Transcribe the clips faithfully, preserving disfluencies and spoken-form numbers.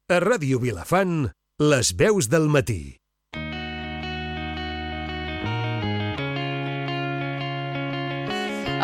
A Ràdio Vilafant, les veus del matí.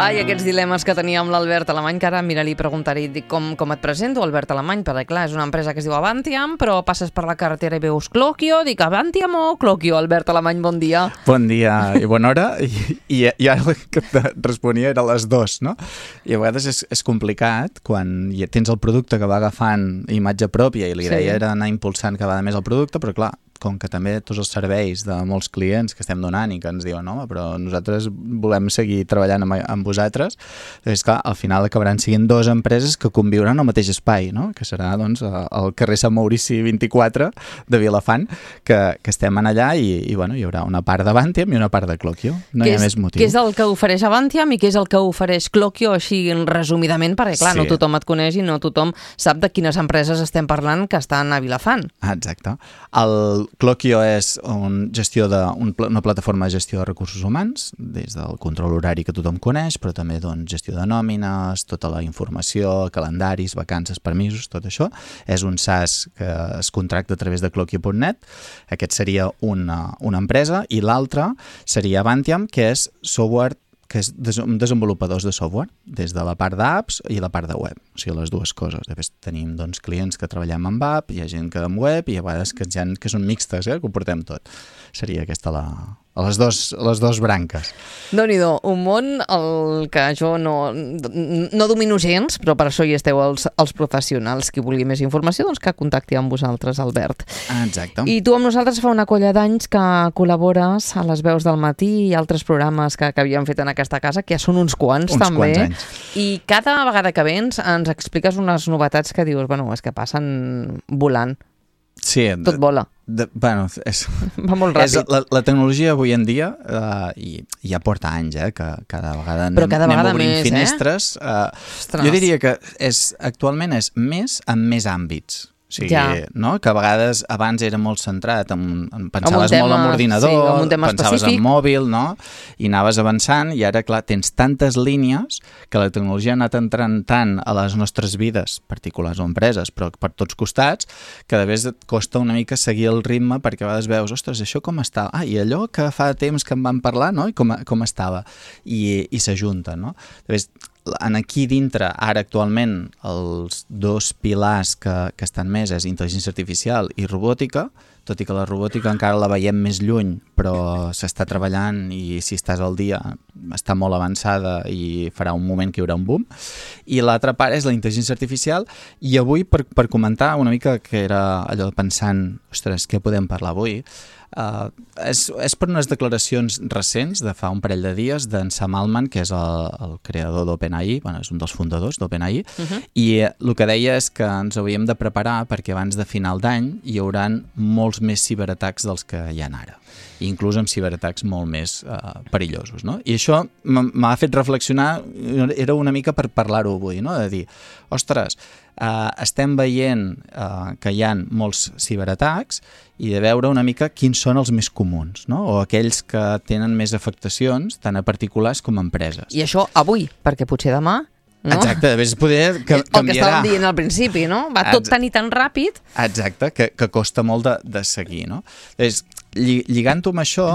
Ai, aquests dilemes que tenia amb l'Albert Alemany, que ara, mira, li preguntaré dic, com, com et presento, Albert Alemany, perquè clar, és una empresa que es diu Avantiam, però passes per la carretera i veus Clocchio, dic Avantiam o Clocchio? Albert Alemany, bon dia. Bon dia i bona hora, i, i, i ara el que et responia era les dos, no? I a vegades és, és complicat quan tens el producte que va agafant imatge pròpia i l'idea sí. era anar impulsant cada vegada més el producte, però clar, com que també tots els serveis de molts clients que estem donant i que ens diuen home, però nosaltres volem seguir treballant amb, amb vosaltres, doncs clar, al final acabaran sent dues empreses que conviuran al mateix espai, no? Que serà doncs el carrer Sant Maurici vint-i-quatre de Vilafant, que, que estem en allà i, i bueno, hi haurà una part d'Avantiam i una part de Clocchio, no hi ha més motiu. Què és el que ofereix Avantiam i què és el que ofereix Clocchio, així resumidament, perquè clar, sí. no tothom et coneix i no tothom sap de quines empreses estem parlant que estan a Vilafant. Ah, exacte. El Clocchio és un gestió de, un, una plataforma de gestió de recursos humans, des del control horari que tothom coneix, però també doncs, gestió de nòmines, tota la informació, calendaris, vacances, permisos, tot això. És un SaaS que es contracta a través de Clocchio punt net. Aquest seria una, una empresa i l'altra seria Avantiam, que és software que és des, desenvolupadors de software, des de la part d'apps i la part de web. O sigui, les dues coses. Després tenim doncs, clients que treballem amb app, hi ha gent que amb web i a vegades que, ha, que són mixtes, eh, que ho portem tot. Seria aquesta la... a les dos, les dos branques. Déu-n'hi-do, un món el que jo no, no domino gens, però per això hi esteu els, els professionals. Qui vulgui més informació, doncs que contacti amb vosaltres, Albert. Exacte. I tu amb nosaltres fa una colla d'anys que col·labores a les veus del matí i altres programes que, que havíem fet en aquesta casa, que ja són uns quants, uns també. Quants anys. I cada vegada que vens ens expliques unes novetats que dius, bueno, és que passen volant. Sí, tot vola. De, bueno, és, va molt ràpid. És la, la tecnologia avui en dia, uh, i ja porta anys, eh, que cada vegada anem, Però cada vegada anem obrint més, finestres. Eh? Uh, jo diria que és, actualment és més en més àmbits. O sigui, ja. no? Que a vegades abans era molt centrat, en, en pensaves tema, molt en ordinador, sí, en un tema pensaves específic. en mòbil, no? I anaves avançant i ara, clar, tens tantes línies que la tecnologia ha anat entrant tant a les nostres vides, particulars o empreses, però per tots costats, que de vegades et costa una mica seguir el ritme perquè a vegades veus, ostres, això com està? Ah, i allò que fa temps que en vam parlar, no? I com, com estava? I, i s'ajunten, no? De vegades, en aquí dintre, ara actualment, els dos pilars que, que estan més és intel·ligència artificial i robòtica, tot i que la robòtica encara la veiem més lluny, però s'està treballant i si estàs al dia està molt avançada i farà un moment que hi haurà un boom. I l'altra part és la intel·ligència artificial i avui, per, per comentar una mica que era allò pensant, ostres, què podem parlar avui? Uh, és, és per unes declaracions recents de fa un parell de dies d'en Sam Altman, que és el, el creador d'OpenAI, bueno, és un dels fundadors d'OpenAI, uh-huh. i el que deia és que ens hauríem de preparar perquè abans de final d'any hi hauran molts més ciberatacs dels que hi ha ara, inclús amb ciberatacs molt més uh, perillosos, no? I això m'ha fet reflexionar, era una mica per parlar-ho avui, no? De dir, ostres, uh, estem veient uh, que hi ha molts ciberatacs i de veure una mica quins són els més comuns, no? O aquells que tenen més afectacions, tant a particulars com a empreses. I això avui, perquè potser demà... No? Exacte, de vegades poder que, el canviarà. El que estàvem dient al principi, no? Va tot tan i tan ràpid. Exacte, que, que costa molt de, de seguir, no? Llavors, lligant-ho amb això,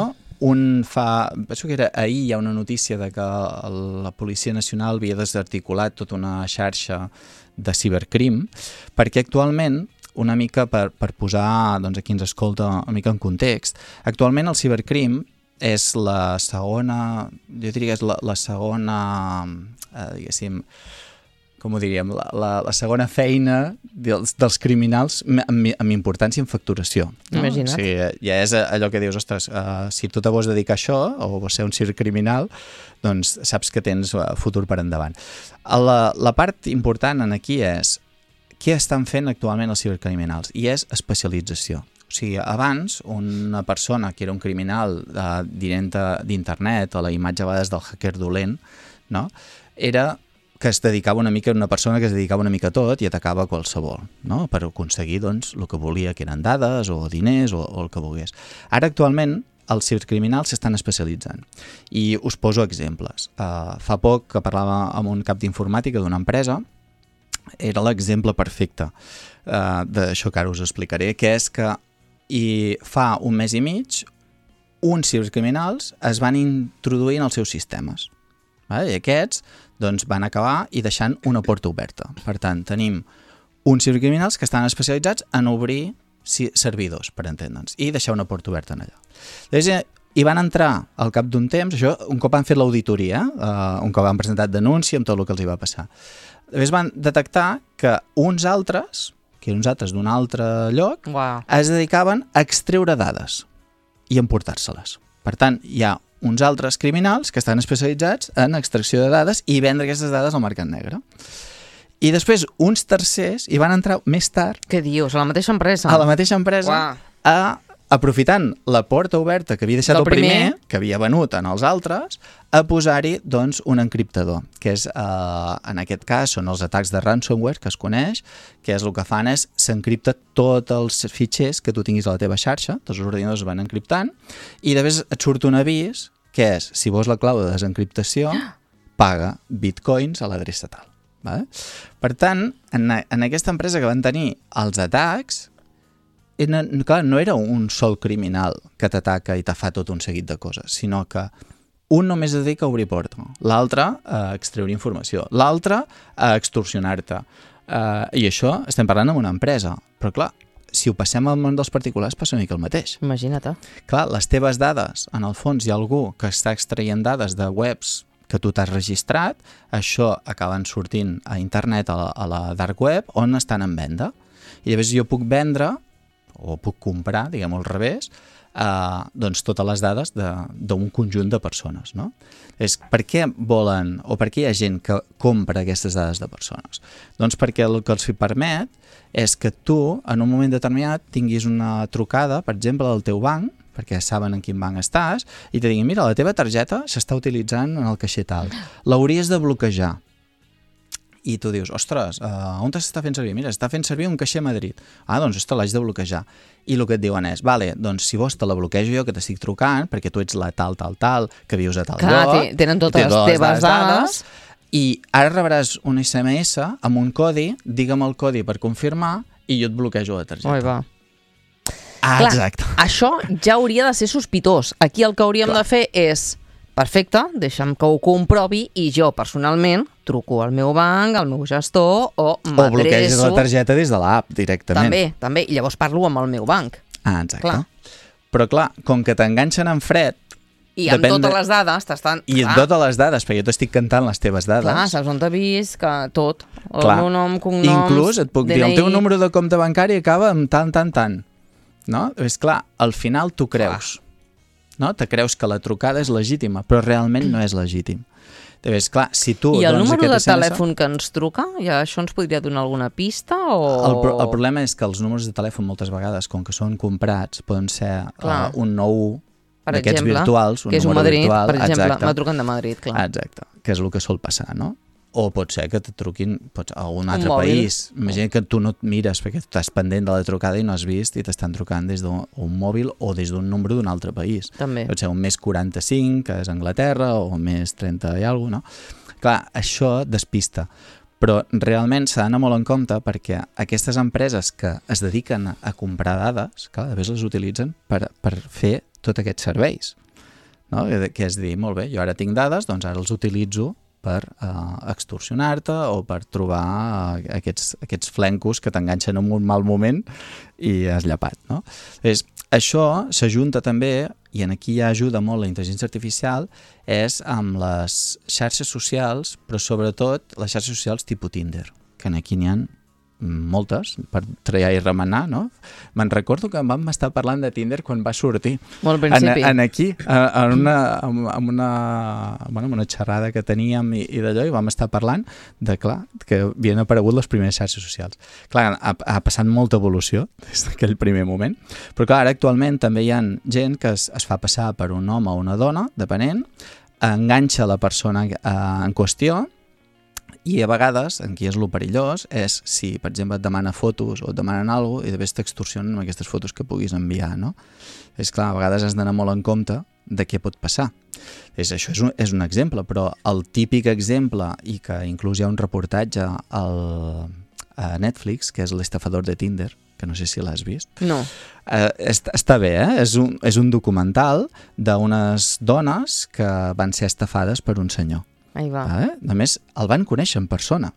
un fa... Penso que era ahir hi ha una notícia de que la Policia Nacional havia desarticulat tota una xarxa de cibercrim, perquè actualment, una mica per, per posar, doncs, a qui ens escolta una mica en context, actualment el cibercrim és la segona, jo diria que és la, la segona, eh, diguéssim, com ho diríem, la, la, la segona feina dels, dels criminals amb, amb importància en facturació. No? Imagina't. O sigui, ja és allò que dius, ostres, uh, si tu te vols dedicar a això o vols ser un cibercriminal, doncs saps que tens futur per endavant. La, la part important en aquí és què estan fent actualment els cibercriminals? I és especialització. O sigui, abans, una persona que era un criminal eh, d'internet o la imatge a vegades del hacker dolent, no? Era que es dedicava una mica, una persona que es dedicava una mica a tot i atacava qualsevol, no? Per aconseguir doncs, el que volia, que eren dades o diners o, o el que volgués. Ara, actualment, els cibercriminals s'estan especialitzant. I us poso exemples. Uh, fa poc que parlava amb un cap d'informàtica d'una empresa era l'exemple perfecte uh, d'això que ara us explicaré, que és que i fa un mes i mig uns cibercriminals es van introduir en els seus sistemes. Vale? I aquests doncs, van acabar i deixant una porta oberta. Per tant, tenim uns cibercriminals que estan especialitzats en obrir servidors, per entendre'ns, i deixar una porta oberta en allà. Llavors, hi van entrar al cap d'un temps, això un cop han fet l'auditoria, uh, un cop han presentat denúncia amb tot el que els hi va passar. Llavors van detectar que uns altres, que eren uns altres d'un altre lloc, wow. es dedicaven a extreure dades i emportar-se-les. Per tant, hi ha uns altres criminals que estan especialitzats en extracció de dades i vendre aquestes dades al mercat negre. I després uns tercers hi van entrar més tard. Què dius? A la mateixa empresa? A la mateixa empresa, wow. a, aprofitant la porta oberta que havia deixat Del el primer, primer, que havia venut en els altres, a posar-hi doncs, un encriptador, que és, eh, en aquest cas, són els atacs de ransomware que es coneix, que és el que fan és s'encripta tots els fitxers que tu tinguis a la teva xarxa, tots els ordinadors van encriptant, i després et surt un avís, que és, si vols la clau de desencriptació, paga bitcoins a l'adreça tal. Vale? Per tant, en, en aquesta empresa que van tenir els atacs, no, clar, no era un sol criminal que t'ataca i te fa tot un seguit de coses, sinó que un només es dedica a obrir porta, l'altre a extreure informació, l'altre a extorsionar-te. Uh, I això estem parlant amb una empresa, però clar, si ho passem al món dels particulars passa una mica el mateix. Imagina't. Clar, les teves dades, en el fons hi ha algú que està extraient dades de webs que tu t'has registrat, això acaben sortint a internet, a la, a la dark web, on estan en venda. I llavors jo puc vendre, o puc comprar, diguem-ho al revés, eh, doncs totes les dades d'un conjunt de persones. No? És, per què volen, o per què hi ha gent que compra aquestes dades de persones? Doncs perquè el que els permet és que tu, en un moment determinat, tinguis una trucada, per exemple, del teu banc, perquè saben en quin banc estàs, i te diguin, mira, la teva targeta s'està utilitzant en el caixer tal, l'hauries de bloquejar. I tu dius, ostres, uh, on s'està fent servir? Mira, està fent servir un caixer a Madrid. Ah, doncs, ostres, l'haig de bloquejar. I el que et diuen és, vale, doncs si vols te la bloquejo jo, que t'estic trucant, perquè tu ets la tal, tal, tal, que vius a tal Clar, lloc. tenen totes les teves dades. I ara rebràs un esse eme esse amb un codi, digue'm el codi per confirmar, i jo et bloquejo la targeta. Oi, va. Ah, Clar, exacte. Això ja hauria de ser sospitós. Aquí el que hauríem Clar. de fer és, perfecte, deixa'm que ho comprovi i jo personalment truco al meu banc, al meu gestor o m'adreço... O bloqueges la targeta des de l'app directament. També, també. I llavors parlo amb el meu banc. Ah, exacte. Clar. Però clar, com que t'enganxen en fred... I amb totes de... les dades t'estan... I amb totes les dades, perquè jo t'estic cantant les teves dades. Clar, saps on t'ha vist, que tot. El Clar. meu nom, cognoms, Inclús et puc D N I... dir, el teu número de compte bancari acaba amb tant, tant, tant. No? És clar, al final tu creus. No? Te creus que la trucada és legítima, però realment no és legítim. És clar, si tu... I el doncs, número de esse eme esse... telèfon que ens truca, ja això ens podria donar alguna pista o... El, pro el problema és que els números de telèfon moltes vegades, com que són comprats, poden ser uh, un nou d'aquests virtuals, un que és un número Madrid, virtual. Per exemple, exacte. m'ha trucat de Madrid, clar. Exacte, que és el que sol passar, no? O pot ser que te truquin pots, a un altre un país. Imagina que tu no et mires perquè tu estàs pendent de la trucada i no has vist i t'estan trucant des d'un mòbil o des d'un número d'un altre país. També. Pot ser un més quaranta-cinc, que és Anglaterra, o un més trenta i alguna cosa, no? Clar, això despista. Però realment s'ha d'anar molt en compte perquè aquestes empreses que es dediquen a comprar dades, clar, després les utilitzen per, per fer tots aquests serveis. No? Que és dir, molt bé, jo ara tinc dades, doncs ara els utilitzo per uh, extorsionar-te o per trobar uh, aquests, aquests flencos que t'enganxen en un mal moment i has llapat. No? És, això s'ajunta també, i en aquí ja ajuda molt la intel·ligència artificial, és amb les xarxes socials, però sobretot les xarxes socials tipus Tinder, que aquí n'hi ha moltes, per treure i remenar, no? Me'n recordo que vam estar parlant de Tinder quan va sortir. Molt al principi. En, en aquí, en una, en una, bueno, en una xerrada que teníem i, i d'allò, i vam estar parlant de, clar, que havien aparegut les primeres xarxes socials. Clar, ha, ha passat molta evolució des d'aquell primer moment, però clar, ara actualment també hi ha gent que es, es fa passar per un home o una dona, depenent, enganxa la persona eh, en qüestió I a vegades, en qui és lo perillós, és si, per exemple, et demana fotos o et demanen alguna cosa i després t'extorsionen amb aquestes fotos que puguis enviar, no? És clar, a vegades has d'anar molt en compte de què pot passar. És, això és un, és un exemple, però el típic exemple, i que inclús hi ha un reportatge al, a Netflix, que és l'estafador de Tinder, que no sé si l'has vist. No. Eh, està, està bé, eh? És un, és un documental d'unes dones que van ser estafades per un senyor. Ahí va. Eh? A més, el van conèixer en persona.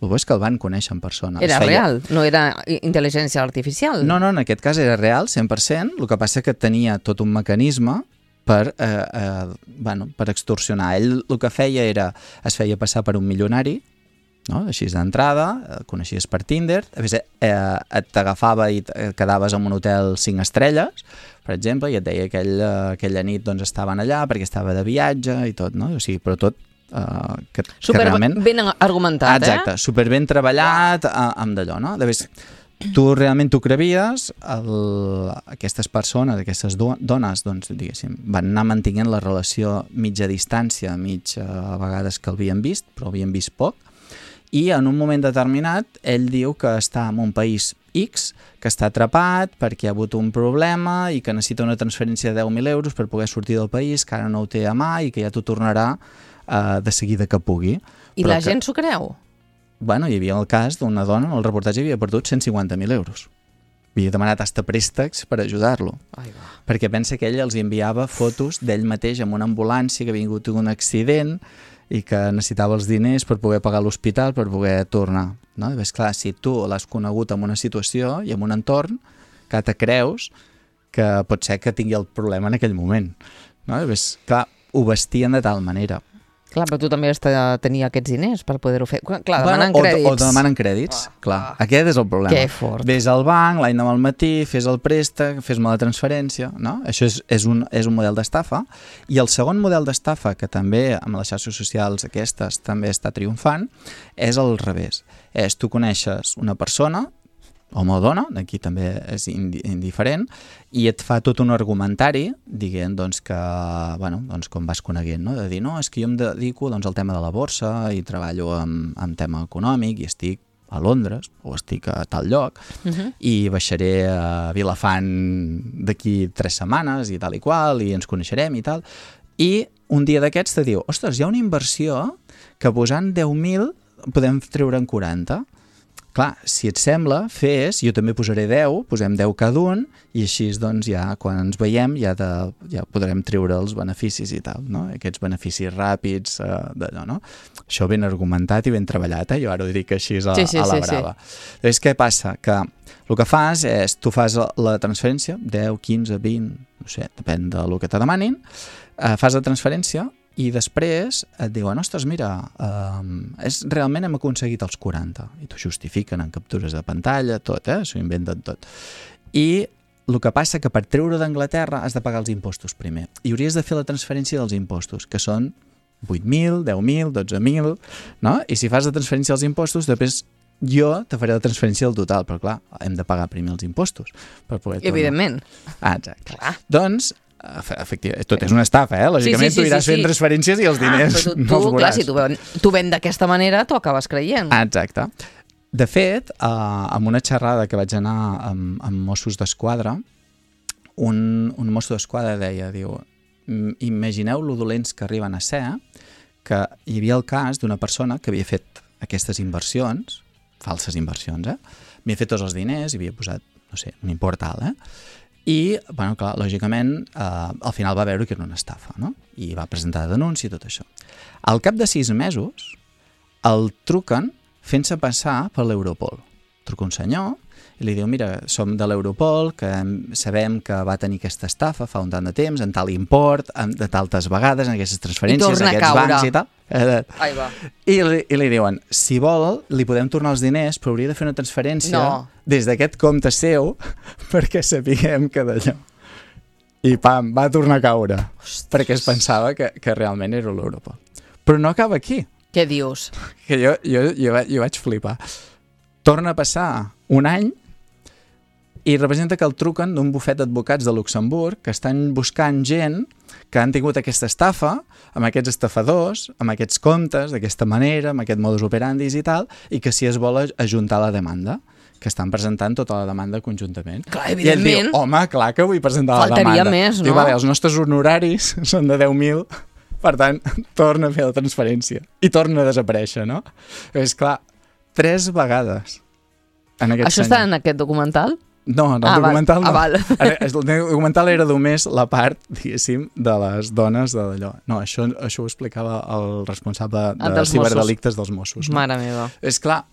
El bo és que el van conèixer en persona. Era feia... real, no era intel·ligència artificial. No, no, en aquest cas era real, cent per cent. El que passa que tenia tot un mecanisme per, eh, eh, bueno, per extorsionar. Ell el que feia era, es feia passar per un milionari, no? Així d'entrada, el coneixies per Tinder, a més, eh, t'agafava i quedaves en un hotel cinc estrelles, per exemple, i et deia que aquell, aquella nit doncs, estaven allà perquè estava de viatge i tot, no? O sigui, però tot Uh, que, super que realment... ben argumentat, Exacte, eh? super ben treballat uh, amb d'allò, no? De vegades, tu realment t'ho crevies, el, aquestes persones, aquestes do, dones, doncs, diguéssim, van anar mantenint la relació mitja distància, mig uh, a vegades que l'havien vist, però havien vist poc, i en un moment determinat ell diu que està en un país X, que està atrapat perquè ha hagut un problema i que necessita una transferència de deu mil euros per poder sortir del país, que ara no ho té a mà i que ja t'ho tornarà Uh, de seguida que pugui. I però la que, gent s'ho creu? Bueno, hi havia el cas d'una dona, en el reportatge havia perdut cent cinquanta mil euros. Havia demanat hasta préstecs per ajudar-lo. Perquè pensa que ell els enviava fotos d'ell mateix amb una ambulància que havia tingut un accident i que necessitava els diners per poder pagar l'hospital, per poder tornar. No? I ves, clar, si tu l'has conegut en una situació i en un entorn que te creus que pot ser que tingui el problema en aquell moment. No? I ves, clar, ho vestien de tal manera. Clar, però tu també has de tenir aquests diners per poder-ho fer. Clar, demanen bueno, crèdits. O, o demanen crèdits, ah, clar. Ah. Aquest és el problema. Que fort. Vés al banc, l'any demà al matí, fes el préstec, fes-me la transferència, no? Això és, és, un, és un model d'estafa. I el segon model d'estafa, que també amb les xarxes socials aquestes també està triomfant, és al revés. És tu coneixes una persona, home o dona, aquí també és indiferent, i et fa tot un argumentari dient doncs, que, bueno, doncs, com vas coneguent, no? De dir, no, és que jo em dedico doncs, al tema de la borsa i treballo amb, amb tema econòmic i estic a Londres o estic a tal lloc uh-huh. i baixaré a Vilafant d'aquí tres setmanes i tal i qual i ens coneixerem i tal. I un dia d'aquests te diu, ostres, hi ha una inversió que posant deu mil podem treure en quaranta. Clar, si et sembla, fes, jo també posaré deu, posem deu cada un, i així doncs ja, quan ens veiem, ja, de, ja podrem treure els beneficis i tal, no? Aquests beneficis ràpids, eh, d'allò, no? Això ben argumentat i ben treballat, eh? Jo ara ho dic així a, sí, sí, a la sí, brava. Sí. Llavors, què passa? Que el que fas és, tu fas la transferència, deu, quinze, vint, no sé, depèn del que te demanin, eh, fas la transferència, i després et diuen, ostres, mira, eh, és, realment hem aconseguit els quaranta. I t'ho justifiquen en captures de pantalla, tot, eh? S'ho inventen tot. I el que passa que per treure d'Anglaterra has de pagar els impostos primer. I hauries de fer la transferència dels impostos, que són vuit mil, deu mil, dotze mil, no? I si fas la transferència dels impostos, després jo te faré la transferència del total, però clar, hem de pagar primer els impostos per poder tornar. Evidentment. Ah, exacte. Clar. Doncs, efectivament, tot és una estafa, eh? Lògicament sí, sí, sí, tu iràs sí, sí. fent transferències i els diners ah, tu, tu, no els veuràs. Clar, si tu, ven, tu ven d'aquesta manera, tu acabes creient. Ah, exacte. De fet, eh, amb una xerrada que vaig anar amb, amb Mossos d'Esquadra, un, un mosso d'Esquadra deia, diu, imagineu lo dolents que arriben a ser, que hi havia el cas d'una persona que havia fet aquestes inversions, falses inversions, eh? Havia fet tots els diners i havia posat, no sé, un import alt, eh? I, bueno, clar, lògicament, eh, al final va veure que era una estafa, no? I va presentar denúncia i tot això. Al cap de sis mesos, el truquen fent-se passar per l'Europol. Truca un senyor i li diu, mira, som de l'Europol, que sabem que va tenir aquesta estafa fa un tant de temps, en tal import, de tantes vegades, en aquestes transferències, en aquests bancs i tal. Ai, va. I, li, I li diuen, si vol, li podem tornar els diners, però hauria de fer una transferència no. des d'aquest compte seu perquè sapiguem que d'allò. I pam, va tornar a caure. Ostres. Perquè es pensava que, que realment era l'Europol. Però no acaba aquí. Què dius? Que jo, jo, jo, jo vaig flipar. Torna a passar un any i representa que el truquen d'un bufet d'advocats de Luxemburg que estan buscant gent que han tingut aquesta estafa amb aquests estafadors, amb aquests comptes, d'aquesta manera, amb aquest modus operandi i tal, i que si es vol ajuntar la demanda, que estan presentant tota la demanda conjuntament. Clar, evidentment. I ell diu, home, clar que vull presentar Faltaria la demanda. més, no? Diu, vale, els nostres honoraris són de deu mil, per tant, torna a fer la transferència. I torna a desaparèixer, no? És clar, tres vegades. En aquest Això senyor. està en aquest documental? No, en el ah, documental val. no. Ah, val. El documental era només la part, diguéssim, de les dones de d'allò. No, això, això ho explicava el responsable de dels ciberdelictes dels Mossos. No? Mare meva. És clar,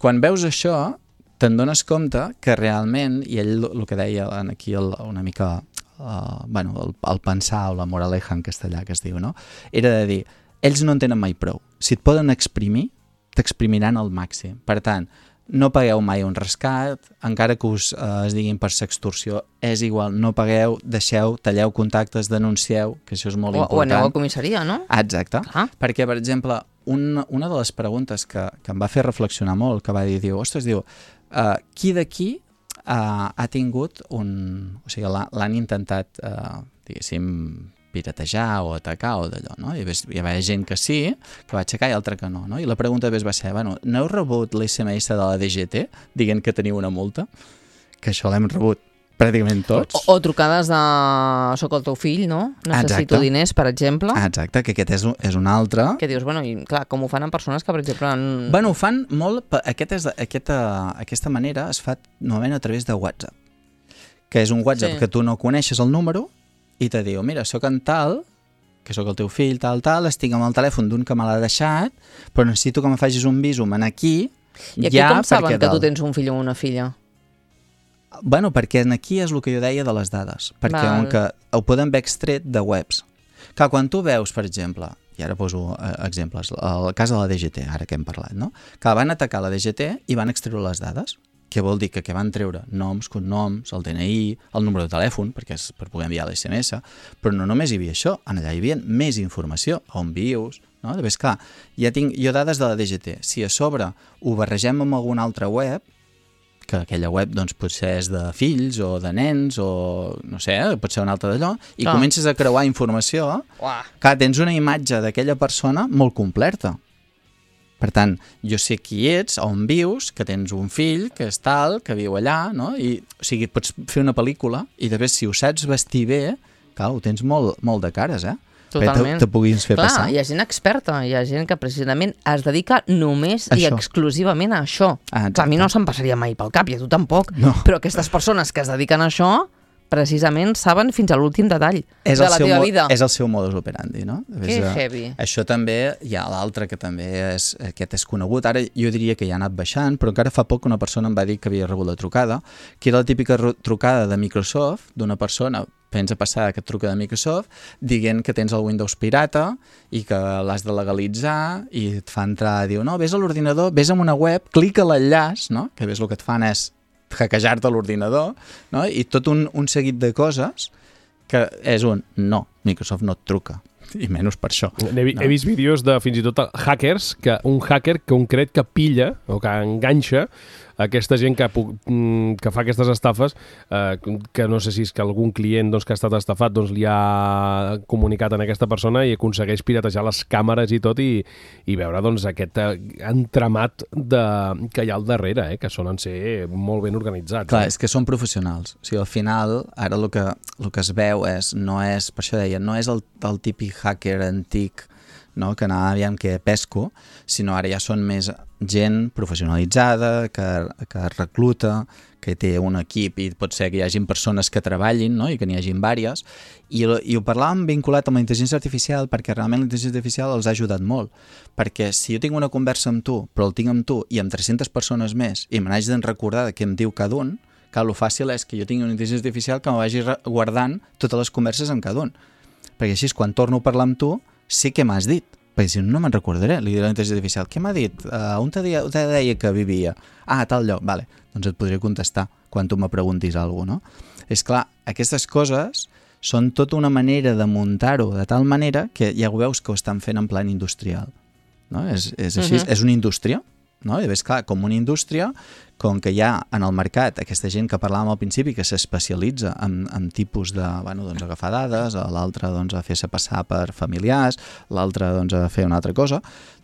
quan veus això, te'n dones compte que realment, i ell el que deia aquí el, una mica, uh, bueno, el, el pensar o la moraleja en castellà que es diu, no? Era de dir, ells no en tenen mai prou. Si et poden exprimir, t'exprimiran al màxim. Per tant, no pagueu mai un rescat, encara que us eh, es diguin per sextorsió, és igual, no pagueu, deixeu, talleu contactes, denuncieu, que això és molt o, important. O aneu a comissaria, no? Ah, exacte, Clar. perquè, per exemple, un, una de les preguntes que, que em va fer reflexionar molt, que va dir, diu, ostres, diu, uh, qui d'aquí uh, ha tingut un... O sigui, l'han intentat, uh, diguéssim, piratejar o atacar o d'allò, no? I hi havia gent que sí, que va aixecar i altra que no, no? I la pregunta va ser, bueno, no heu rebut l'S M S de la D G T dient que teniu una multa? Que això l'hem rebut pràcticament tots. O, o trucades de... Soc el teu fill, no? Necessito Exacte. diners, per exemple. Ah, exacte, que aquest és un, és un altre. Que dius, bueno, i clar, com ho fan en persones que, per exemple... En... Bueno, ho fan molt... Aquest és, aquesta, aquesta manera es fa normalment a través de WhatsApp, que és un WhatsApp Sí. que tu no coneixes el número i te diu, mira, sóc en tal, que sóc el teu fill, tal, tal, estic amb el telèfon d'un que me l'ha deixat, però necessito que me facis un visum en aquí, I aquí ja com saben perquè que tu dalt. tens un fill o una filla? Bueno, perquè en aquí és el que jo deia de les dades, perquè Val. on que ho poden haver extret de webs. Clar, quan tu veus, per exemple, i ara poso eh, exemples, el cas de la D G T, ara que hem parlat, no? Que van atacar la D G T i van extreure les dades, que vol dir que, que van treure noms, cognoms, el D N I, el número de telèfon, perquè és per poder enviar l'S M S, però no només hi havia això, en allà hi havia més informació, on vius, no? Llavors, clar, ja tinc jo dades de la D G T. Si a sobre ho barregem amb alguna altra web, que aquella web doncs, potser és de fills o de nens o no sé, pot ser una altra d'allò, i Clar. comences a creuar informació, Uah. clar, tens una imatge d'aquella persona molt completa. Per tant, jo sé qui ets, on vius, que tens un fill, que és tal, que viu allà, no? I, o sigui, pots fer una pel·lícula i després, si ho saps vestir bé, clar, ho tens molt, molt de cares, eh? Totalment. Te, te puguis fer Clar, passar. hi ha gent experta, hi ha gent que precisament es dedica només i Això. exclusivament a això. Ah, Clar, a mi no se'm passaria mai pel cap, i a tu tampoc. No. Però aquestes persones que es dediquen a això, precisament saben fins a l'últim detall És de el la seu teva mo- vida. És el seu modus operandi, no? Que És, eh, heavy. Això també, hi ha l'altre que també és, aquest és conegut, ara jo diria que ja ha anat baixant, però encara fa poc una persona em va dir que havia rebut la trucada, que era la típica ru- trucada de Microsoft, d'una persona, pensa passar que et truca de Microsoft, dient que tens el Windows pirata i que l'has de legalitzar i et fa entrar, diu, no, vés a l'ordinador, vés a una web, clica l'enllaç, no? Que ves el que et fan és hackejar-te l'ordinador, no? I tot un, un seguit de coses que és un no, Microsoft no et truca, i menys per això. He, vi- No. he vist vídeos de fins i tot hackers, que un hacker concret que pilla o que enganxa aquesta gent que, pu- mm, que fa aquestes estafes, eh, que no sé si és que algun client doncs, que ha estat estafat doncs, li ha comunicat a aquesta persona i aconsegueix piratejar les càmeres i tot i, i veure doncs, aquest eh, entramat de, que hi ha al darrere, eh, que solen ser molt ben organitzats. Clar, eh? és que són professionals. O sigui, al final, ara el que, el que es veu és, no és, per això deia, no és el, el típic hacker antic, no? Que anava aviam que pesco, sinó ara ja són més gent professionalitzada, que, que recluta, que té un equip i pot ser que hi hagin persones que treballin, no? I que n'hi hagin vàries, i, i ho parlàvem vinculat amb la intel·ligència artificial perquè realment la intel·ligència artificial els ha ajudat molt, perquè si jo tinc una conversa amb tu, però el tinc amb tu i amb tres-centes persones més i me n'haig de recordar de què em diu cada un, que el fàcil és que jo tingui una intel·ligència artificial que me vagi guardant totes les converses amb cada un, perquè així quan torno a parlar amb tu sé què m'has dit, perquè si no, no me'n recordaré. Li diré a la intel·ligència artificial, què m'ha dit? Uh, on te deia, te deia que vivia? Ah, a tal lloc, vale. Doncs et podré contestar quan tu me preguntis alguna cosa, no? És clar, aquestes coses són tota una manera de muntar-ho de tal manera que ja ho veus que ho estan fent en plan industrial, no? És, és així, Mhm. és una indústria, no? I llavors, clar, com una indústria, com que hi ha en el mercat aquesta gent que parlàvem al principi que s'especialitza en, en tipus de, bueno, doncs agafar dades, l'altre doncs a fer-se passar per familiars, l'altre doncs a fer una altra cosa,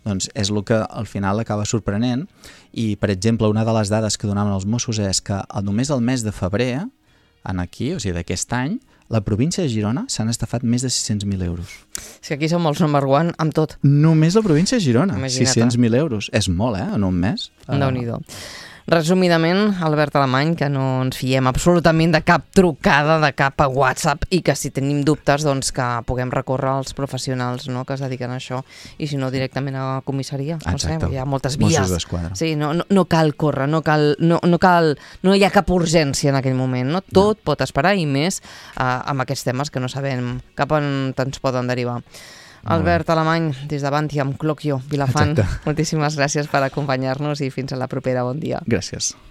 doncs és el que al final acaba sorprenent. I, per exemple, una de les dades que donaven els Mossos és que només el mes de febrer, en aquí, o sigui, d'aquest any, la província de Girona s'han estafat més de sis-cents mil euros. Si aquí som els number one amb tot. Només la província de Girona, Imagina't. sis-cents mil euros. És molt, eh, en un mes. Déu-n'hi-do. Resumidament, Albert Alemany, que no ens fiem absolutament de cap trucada, de cap a WhatsApp, i que si tenim dubtes, doncs que puguem recórrer als professionals, no?, que es dediquen a això, i si no directament a la comissaria. No sé, hi ha moltes vies. Mossos d'Esquadra. Sí, no, no, no cal córrer, no cal, no, no cal, no hi ha cap urgència en aquell moment, no? Tot no. pot esperar, i més eh, amb aquests temes que no sabem cap on ens poden derivar. Albert Alemany, des de Bantiam, Clocchio, Vilafant, Exacte. moltíssimes gràcies per acompanyar-nos i fins a la propera. Bon dia. Gràcies.